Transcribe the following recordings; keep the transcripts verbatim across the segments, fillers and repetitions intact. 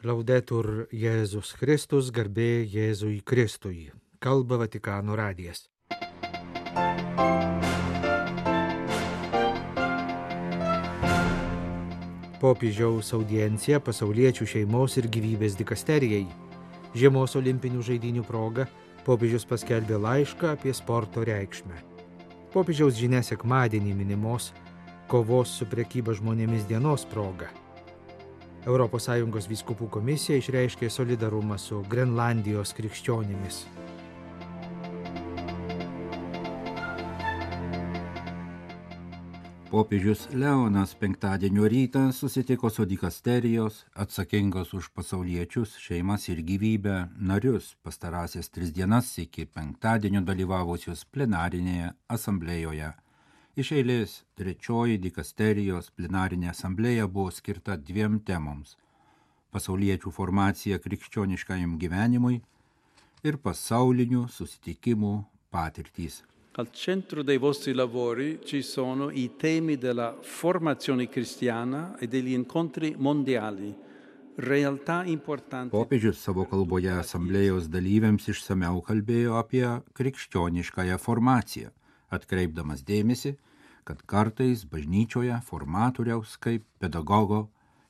Laudetur Jėzus Kristus, garbė Jėzui Kristui. Kalba Vatikano radijas. Popiežiaus audiencija pasauliečių šeimos ir gyvybės dikasterijai. Žiemos olimpinių žaidynių proga popiežius paskelbė laišką apie sporto reikšmę. Popiežiaus žinia sekmadienį minimos kovos su prekyba žmonėmis dienos proga. Europos Sąjungos vyskupų komisija išreiškė solidarumą su Grenlandijos krikščionimis. Popiežius Leonas penktadienio rytą susitiko su dikasterijos, atsakingos už pasauliečius, šeimas ir gyvybę, narius pastarąsias tris dienas iki penktadienio dalyvavusius plenarinėje asamblėjoje. Iš eilės trečioji dikasterijos plenarinė asamblėja buvo skirta dviem temoms – pasauliečių formacija krikščioniškajam gyvenimui ir pasaulinių susitikimų patirtys. Al centro dei vostri lavori ci sono i temi della formazione cristiana e degli incontri mondiali, realtà importanti. Popiežius savo kalboje asamblėjos dalyviams išsamiau kalbėjo apie krikščioniškąją formaciją, atkreipdamas dėmesį, kad kartais bažnyčioje formatoriaus kaip pedagogo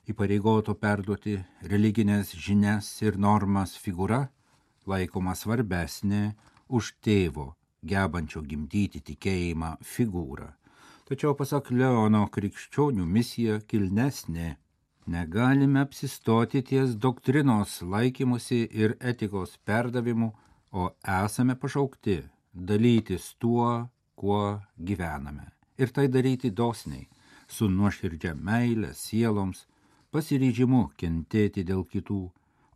įpareigoto perduoti religinės žinias ir normas figūra laikoma svarbesnė už tėvo, gebančio gimdyti tikėjimą figūrą. Tačiau pasak Leono krikščionių misija kilnesnė. Negalime apsistoti ties doktrinos laikymusi ir etikos perdavimu, o esame pašaukti dalytis tuo, kuo gyvename. Ir tai daryti dosniai, su nuoširdžia meile sieloms, pasiryžimu kentėti dėl kitų,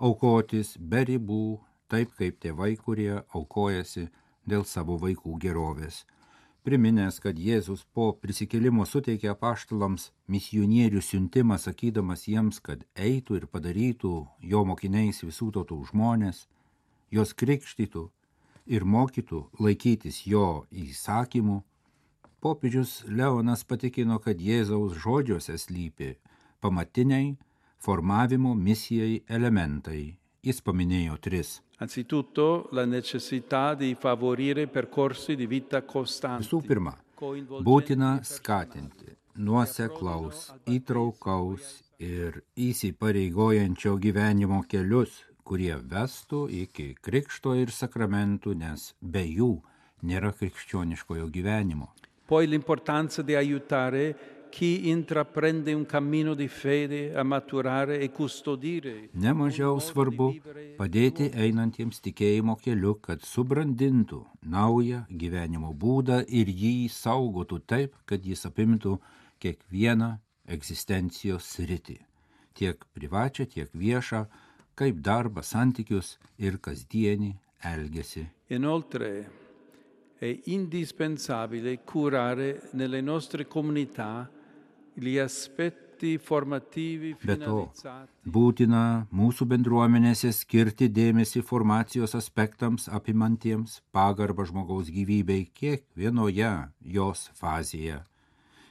aukotis be ribų, taip kaip tėvai, kurie aukojasi dėl savo vaikų gerovės. Priminęs, kad Jėzus po prisikėlimo suteikė apaštalams misionierių siuntimą, sakydamas jiems, kad eitų ir padarytų jo mokiniais visų tautų žmonės, jos krikštytų ir mokytų laikytis jo įsakymų, popiežius Leonas patikino, kad Jėzaus žodžiuose slypi pamatiniai formavimo misijai elementai. Jis paminėjo tris. Anzitutto la necessità di favorire percorsi di vita costanti. Visų pirma, būtina skatinti nuoseklaus, įtraukaus ir įsipareigojančio gyvenimo kelius, kurie vestų iki krikšto ir sakramentų, nes be jų nėra krikščioniškojo gyvenimo. Poi l'importanza di aiutare chi intraprende un cammino di fede a maturare e custodire. Nemažiau svarbu padėti einantiems tikėjimo keliu, kad subrandintų naują gyvenimo būdą ir jį saugotų taip, kad jis apimtų kiekvieną egzistencijos sritį, tiek privačią, tiek viešą, kaip darbą, santykius ir kasdienį elgesį. Inoltre è indispensabile curare nelle nostre comunità gli aspetti formativi Be to, finalizzati. būtina mūsų bendruomenėse skirti dėmesį formacijos aspektams apimantiems pagarbą žmogaus gyvybei kiekvienoje jos fazėje,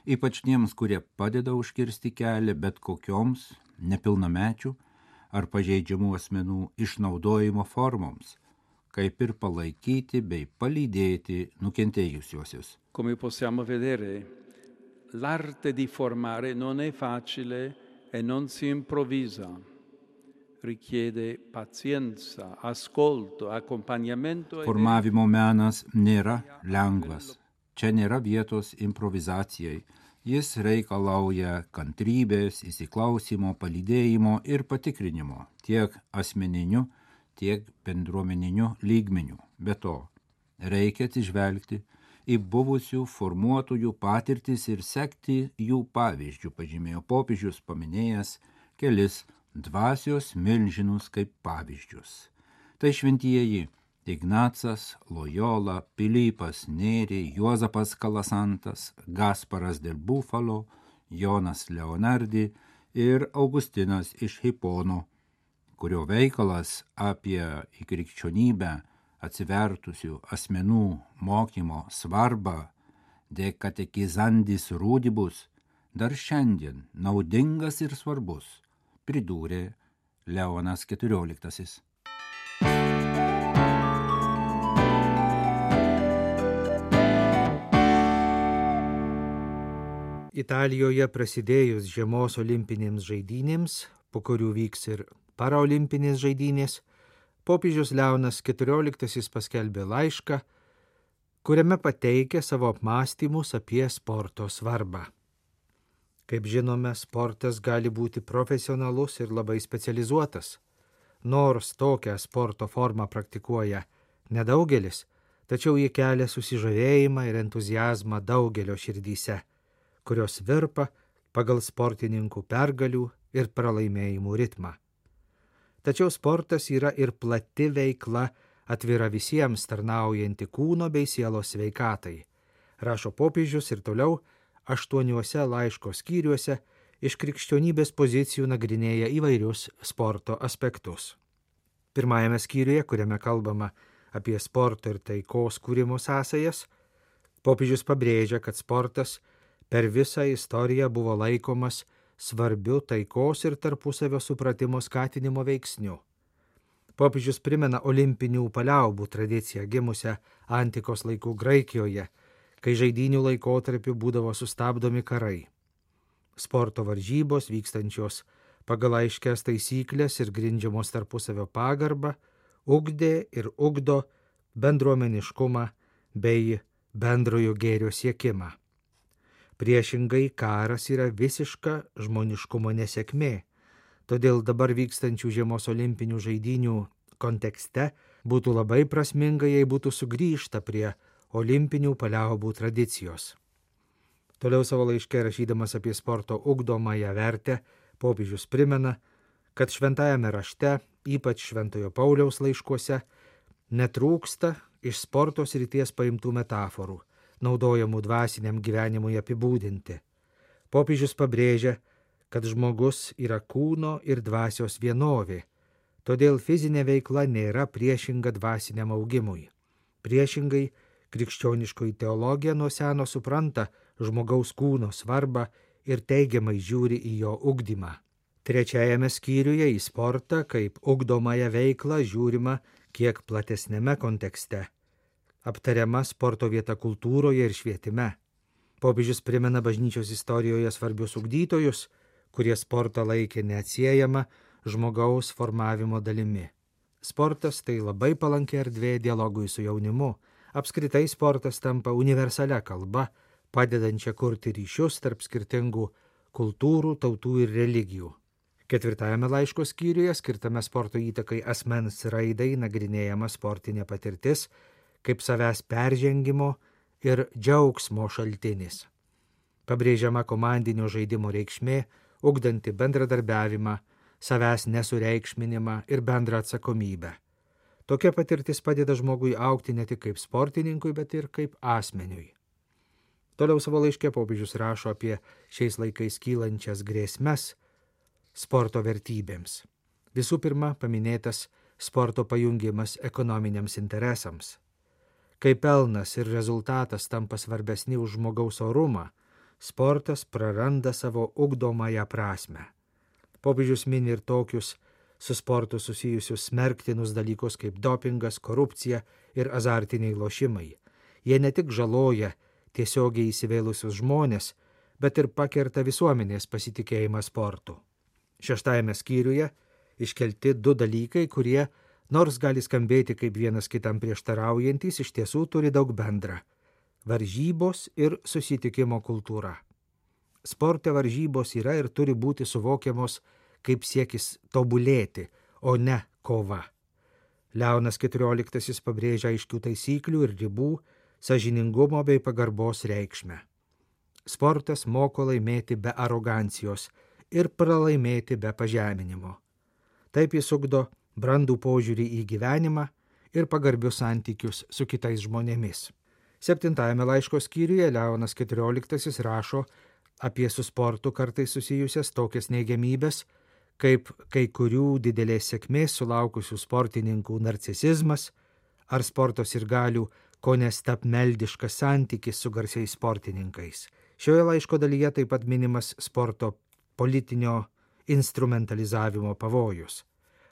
ypač tiems, kurie padeda užkirsti kelią bet kokioms nepilnamečių ar pažeidžiamų asmenų išnaudojimo formoms, kaip ir palaikyti bei palydėti nukentėjusiuosius. Come possiamo vedere, l'arte di formare non è facile e non si improvvisa. Richiede pazienza, ascolto, accompagnamento. Formavimo menas nėra lengvas. Čia nėra vietos improvizacijai. Jis reikalauja kantrybės, įsiklausimo, palydėjimo ir patikrinimo tiek asmeniniu, tiek bendruomeniniu lygmeniu. Be to, reikia atsižvelgti į buvusių formuotojų patirtis ir sekti jų pavyzdžių, pažymėjo popiežius, paminėjęs kelis dvasios milžinus kaip pavyzdžius. Tai šventieji Ignacas, Lojola, Pilypas Nėri, Juozapas Kalasantas, Gasparas del Bufalo, Jonas Leonardi ir Augustinas iš Hipono, kurio veikalas apie į krikščionybę atsivertusių asmenų mokymo svarbą de katekizandis rudibus dar šiandien naudingas ir svarbus, pridūrė Leonas keturioliktasis. Italijoje prasidėjus žiemos olimpinėms žaidynėms, po kurių vyks ir paraolimpinės žaidynės, popiežius Leonas keturioliktasis paskelbė laišką, kuriame pateikė savo apmąstymus apie sporto svarbą. Kaip žinome, sportas gali būti profesionalus ir labai specializuotas. Nors tokią sporto formą praktikuoja nedaugelis, tačiau jie kelia susižavėjimą ir entuziazmą daugelio širdyse, kurios virpa pagal sportininkų pergalių ir pralaimėjimų ritmą. Tačiau sportas yra ir plati veikla, atvira visiems tarnaujanti kūno bei sielos sveikatai, rašo popiežius ir toliau aštuoniuose laiško skyriuose iš krikščionybės pozicijų nagrinėja įvairius sporto aspektus. Pirmajame skyriuje, kuriame kalbama apie sporto ir taikos kūrimo sąsajas, popiežius pabrėžia, kad sportas per visą istoriją buvo laikomas svarbiu taikos ir tarpusavio supratimo skatinimo veiksniu. Popiežius primena olimpinių paliaubų tradiciją gimusią antikos laikų Graikijoje, kai žaidynių laikotarpiu būdavo sustabdomi karai. Sporto varžybos vykstančios pagal aiškias taisyklės ir grindžiamos tarpusavio pagarbą ugdė ir ugdo bendruomeniškumą bei bendrojo gėrio siekimą. Priešingai, karas yra visiška žmoniškumo nesėkmė, todėl dabar vykstančių žiemos olimpinių žaidynių kontekste būtų labai prasminga, jei būtų sugrįžta prie olimpinių paliaubų tradicijos. Toliau savo laiške rašydamas apie sporto ugdomąją vertę, popiežius primena, kad šventajame rašte, ypač Šventojo Pauliaus laiškuose, netrūksta iš sporto srities paimtų metaforų, naudojamų dvasiniam gyvenimui apibūdinti. Popiežius pabrėžia, kad žmogus yra kūno ir dvasios vienovė, todėl fizinė veikla nėra priešinga dvasiniam augimui. Priešingai, krikščioniškoji teologija nuo seno supranta žmogaus kūno svarbą ir teigiamai žiūri į jo ugdymą. Trečiajame skyriuje į sportą kaip ugdomąją veiklą žiūrima kiek platesnėme kontekste. Aptariama sporto vieta kultūroje ir švietime. Popiežius primena bažnyčios istorijoje svarbius ugdytojus, kurie sportą laikė neatsiejama žmogaus formavimo dalimi. Sportas tai labai palanki erdvė dialogui su jaunimu. Apskritai sportas tampa universalia kalba, padedančia kurti ryšius tarp skirtingų kultūrų, tautų ir religijų. Ketvirtajame laiško skyriuje, skirtame sporto įtakai asmens raidai, nagrinėjama sportinė patirtis, kaip savęs peržengimo ir džiaugsmo šaltinis. Pabrėžiama komandinio žaidimo reikšmė, ugdanti bendradarbiavimą, savęs nesureikšminimą ir bendrą atsakomybę. Tokia patirtis padeda žmogui augti ne tik kaip sportininkui, bet ir kaip asmeniui. Toliau savo laiške popiežius rašo apie šiais laikais kylančias grėsmes sporto vertybėms. Visų pirma, paminėtas sporto pajungimas ekonominiams interesams. Kai pelnas ir rezultatas tampa svarbesni už žmogaus orumą, sportas praranda savo ugdomąją prasmę. Popiežius mini ir tokius su sportu susijusius smerktinus dalykus kaip dopingas, korupcija ir azartiniai lošimai. Jie ne tik žaloja tiesiogiai įsivėlusius žmonės, bet ir pakerta visuomenės pasitikėjimą sportu. Šeštajame skyriuje iškelti du dalykai, kurie, nors gali skambėti kaip vienas kitam prieštaraujantis, iš tiesų turi daug bendra – varžybos ir susitikimo kultūra. Sporte varžybos yra ir turi būti suvokiamos kaip siekis tobulėti, o ne kova. Leonas keturioliktasis pabrėžia aiškių taisyklių ir ribų, sąžiningumo bei pagarbos reikšmę. Sportas moko laimėti be arogancijos ir pralaimėti be pažeminimo. Taip jis ugdo brandų požiūrį į gyvenimą ir pagarbius santykius su kitais žmonėmis. Septintajame laiško skyriuje Leonas keturioliktasis rašo apie su sportu kartais susijusias tokias neigiamybės, kaip kai kurių didelės sėkmės sulaukusių sportininkų narcisizmas ar sporto sirgalių kone stabmeldiškas santykis su garsiais sportininkais. Šioje laiško dalyje taip pat minimas sporto politinio instrumentalizavimo pavojus.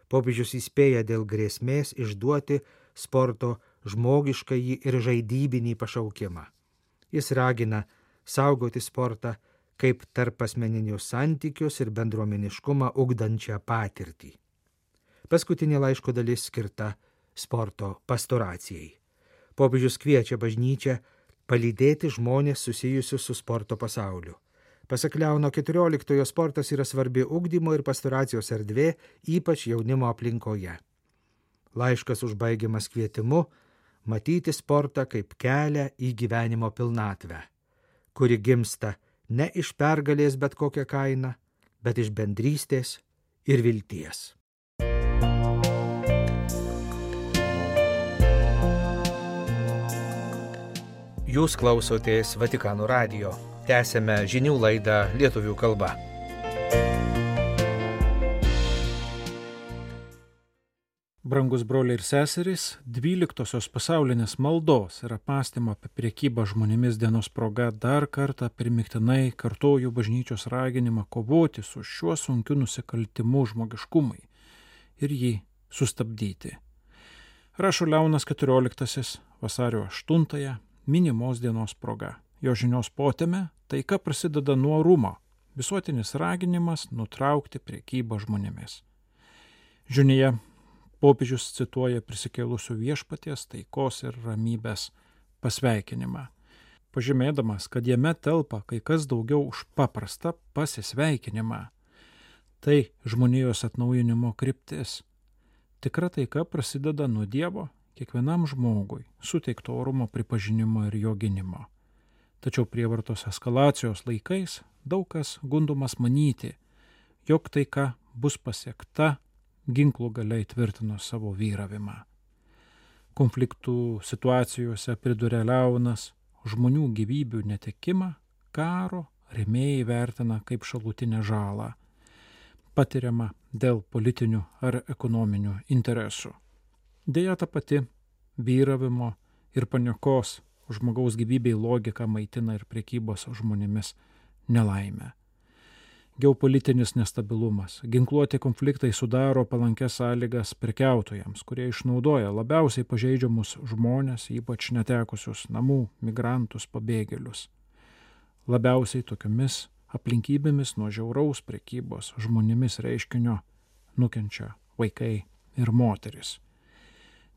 Popiežius įspėja dėl grėsmės išduoti sporto žmogiškąjį ir žaidybinį pašaukimą. Jis ragina saugoti sportą kaip tarp asmeninius santykius ir bendruomeniškumą ugdančią patirtį. Paskutinė laiško dalis skirta sporto pastoracijai. Popiežius kviečia bažnyčią palydėti žmonės susijusius su sporto pasauliu. Pasak Leono keturioliktojo sportas yra svarbi ugdymo ir pastoracijos erdvė, ypač jaunimo aplinkoje. Laiškas užbaigiamas kvietimu matyti sportą kaip kelią į gyvenimo pilnatvę, kuri gimsta ne iš pergalės bet kokią kainą, bet iš bendrystės ir vilties. Jūs klausotės Vatikano radijo. Tęsėme žinių laidą lietuvių kalba. Brangus broliai ir seserys, dvyliktosios pasaulinės maldos ir apmąstymo apie prekybą žmonėmis dienos proga dar kartą primiktinai kartoju bažnyčios raginimą kovoti su šiuo sunkiu nusikaltimu žmogiškumui ir jį sustabdyti. Rašo Leonas keturioliktasis vasario aštuntąją minimos dienos proga. Jo žinios potėme taika prasideda nuo orumo, visuotinis raginimas nutraukti prekybą žmonėmis. Žinioje popiežius cituoja prisikėlusių viešpaties taikos ir ramybės pasveikinimą, pažymėdamas, kad jame telpa kai kas daugiau už paprastą pasisveikinimą. Tai žmonijos atnaujinimo kryptis. Tikra taika prasideda nuo Dievo kiekvienam žmogui suteikto orumo pripažinimo ir jo gynimo. Tačiau prievartos eskalacijos laikais daug kas gundomas manyti, jog taika bus pasiekta ginklų galia įtvirtino savo vyravimą. Konfliktų situacijose priduria Leonas žmonių gyvybių netekimą karo rėmėjai vertina kaip šalutinę žalą, patiriamą dėl politinių ar ekonominių interesų. Deja, ta pati vyravimo ir paniekos žmogaus gyvybei logika maitina ir prekybos žmonėmis nelaimę. Geopolitinis nestabilumas, ginkluoti konfliktai sudaro palankias sąlygas prekiautojams, kurie išnaudoja labiausiai pažeidžiamus žmonės, ypač netekusius namų, migrantus, pabėgėlius. Labiausiai tokiomis aplinkybėmis nuo žiauraus prekybos žmonėmis reiškinio nukenčia vaikai ir moteris.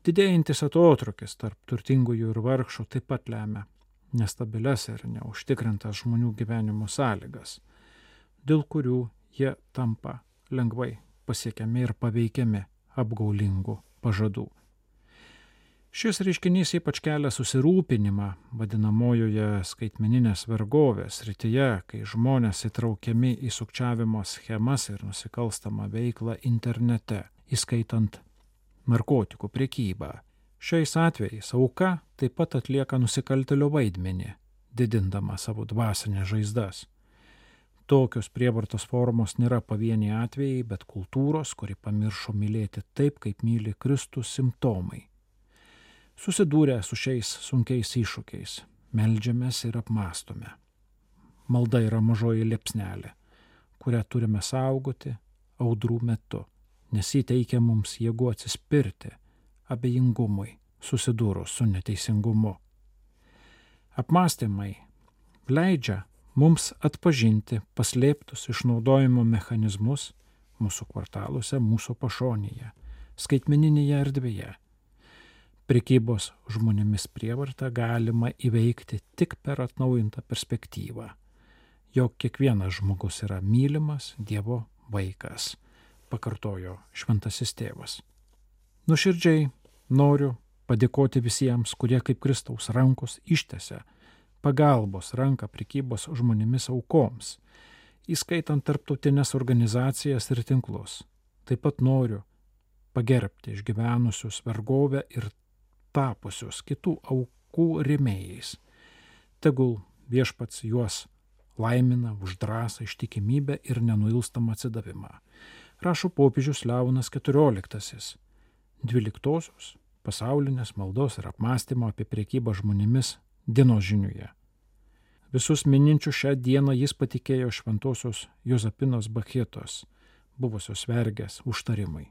Didėjantis atotrūkis tarp turtingųjų ir vargšų taip pat lemia nestabilias ir neužtikrintas žmonių gyvenimo sąlygas, dėl kurių jie tampa lengvai pasiekiami ir paveikiami apgaulingų pažadų. Šis reiškinys ypač kelia susirūpinimą vadinamojoje skaitmeninės vergovės srityje, kai žmonės įtraukiami į sukčiavimo schemas ir nusikalstamą veiklą internete, įskaitant narkotikų prekybą. Šiais atvejais auka taip pat atlieka nusikaltėlio vaidmenį, didindama savo dvasinės žaizdas. Tokios prievartos formos nėra pavieniai atvejai, bet kultūros, kuri pamiršo mylėti taip, kaip myli Kristus, simptomai. Susidūrę su šiais sunkiais iššūkiais, meldžiamės ir apmąstome. Malda yra mažoji liepsnelė, kurią turime saugoti audrų metu, nes jį teikia mums jėgų atsispirti abejingumui susidūrus su neteisingumu. Apmąstymai leidžia mums atpažinti paslėptus išnaudojimo mechanizmus mūsų kvartaluose, mūsų pašonėje, skaitmeninėje erdvėje. Prekybos žmonėmis prievartą galima įveikti tik per atnaujintą perspektyvą, jog kiekvienas žmogus yra mylimas Dievo vaikas, pakartojo šventasis tėvas. Nuoširdžiai noriu padėkoti visiems, kurie kaip Kristaus rankos ištiesia pagalbos ranką prekybos žmonėmis aukoms, įskaitant tarptautinės organizacijas ir tinklus. Taip pat noriu pagerbti išgyvenusius vergovę ir tapusius kitų aukų rėmėjais. Tegul viešpats juos laimina už drąsą, ištikimybę ir nenuilstamą atsidavimą. Rašo popiežius Leonas keturioliktasis, dvyliktosios pasaulinės maldos ir apmąstymo apie prekybą žmonėmis dienos žiniuje. Visus mininčių šią dieną jis patikėjo šventosios Jozapinos Bachetos, buvusios vergės, užtarimai.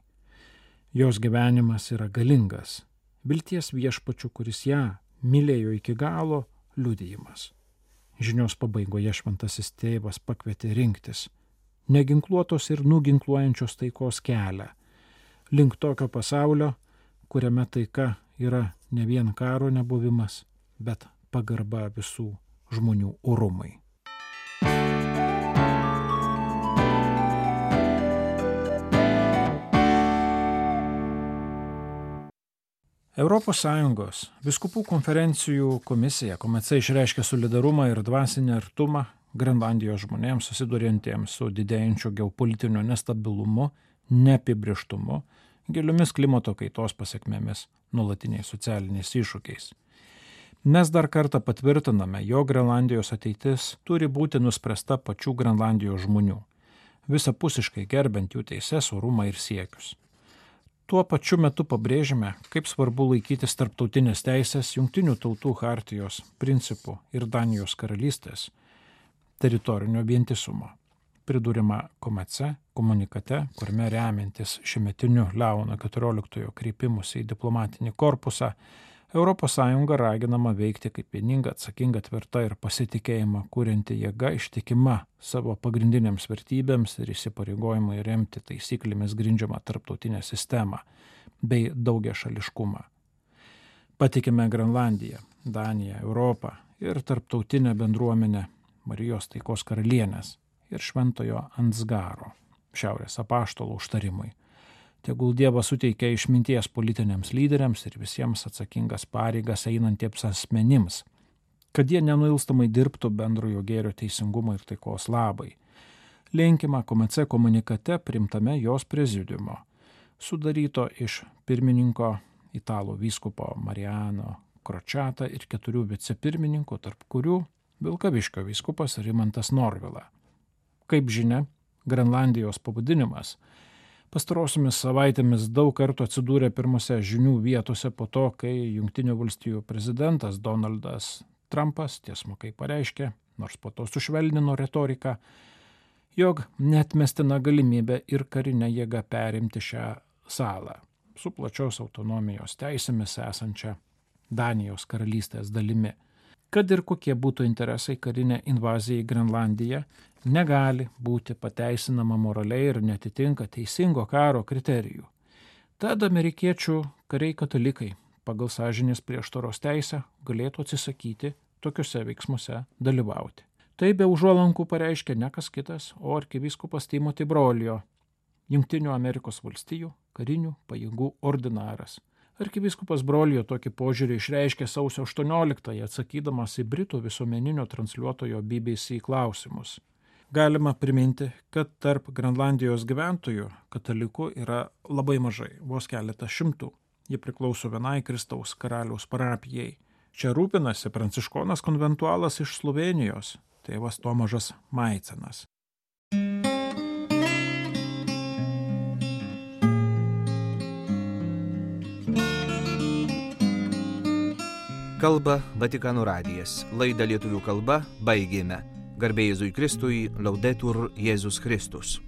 Jos gyvenimas yra galingas, vilties viešpačiu, kuris ją mylėjo iki galo, liudijimas. Žinios pabaigoje šventasis tėvas pakvietė rinktis neginkluotos ir nuginkluojančios taikos kelią, link tokio pasaulio, kuriame taika yra ne vien karo nebuvimas, bet pagarba visų žmonių orumai. Europos Sąjungos vyskupų konferencijų komisija Komece išreiškė solidarumą ir dvasinį artumą Grenlandijos žmonėms susiduriantiems su didėjančiu geopolitiniu nestabilumu, neapibrėžtumu, giliomis klimato kaitos pasekmėmis, nuolatiniais socialiniais iššūkiais. Mes dar kartą patvirtiname, jog Grenlandijos ateitis turi būti nuspręsta pačių Grenlandijos žmonių, visapusiškai gerbent jų teises, orumą ir siekius. Tuo pačiu metu pabrėžime, kaip svarbu laikytis tarptautinės teisės, Jungtinių tautų chartijos principų ir Danijos karalystės teritorinio vientisumo. Pridūrima Komece komunikate, kuriame remiantis šiuometiniu Leono keturioliktojo kreipimusi į diplomatinį korpusą, Europos Sąjunga raginama veikti kaip vieninga, atsakinga, tvirta ir pasitikėjimą kurianti jėga, ištikima savo pagrindinėms vertybėms ir įsipareigojimui remti taisyklėmis grindžiamą tarptautinę sistemą bei daugiašališkumą. Patikime Grenlandiją, Daniją, Europą ir tarptautinę bendruomenę Marijos taikos karalienės ir Šventojo Ansgaro, Šiaurės apaštalo užtarimui. Tegul Dievas suteikia išminties politiniams lyderiams ir visiems atsakingas pareigas einantiems asmenims, kad jie nenuilstamai dirbtų bendrojo gėrio teisingumo ir taikos labai. Linkima Komece komunikate primtame jos prezidiumo, sudaryto iš pirmininko italų vyskupo Mariano Kročata ir keturių vicepirmininkų, tarp kurių Vilkaviškio vyskupas Rimantas Norvila. Kaip žinia, Grenlandijos pavadinimas pastarosiomis savaitėmis daug kartų atsidūrė pirmose žinių vietose po to, kai Jungtinių valstijų prezidentas Donaldas Trumpas tiesmukai pareiškė, nors po to sušvelnino retoriką, jog neatmestina galimybė ir karinę jėgą perimti šią salą su plačios autonomijos teisėmis esančia Danijos karalystės dalimi. Kad ir kokie būtų interesai, karinė invazija į Grenlandiją negali būti pateisinama moraliai ir netitinka teisingo karo kriterijų. Tad amerikiečių kariai katalikai pagal sąžinės prieštaros teisę galėtų atsisakyti tokiuose veiksmuose dalyvauti. Tai be užuolankų pareiškė ne kas kitas, o arkivyskupas Timothy Brolio, Jungtinių Amerikos valstijų karinių pajėgų ordinaras. Arkivyskupas Brolio tokį požiūrį išreiškė sausio aštuonioliktąją atsakydamas į Britų visuomeninio transliuotojo B B C klausimus. Galima priminti, kad tarp Grenlandijos gyventojų katalikų yra labai mažai, vos keletas šimtų. Ji priklauso vienai Kristaus karaliaus parapijai. Čia rūpinasi pranciškonas konventualas iš Slovėnijos, tėvas Tomažas Maicenas. Kalba Vatikano radijas. Laidą lietuvių kalba baigėme. Garbė Jėzui Kristui, Laudetur Jėzus Kristus.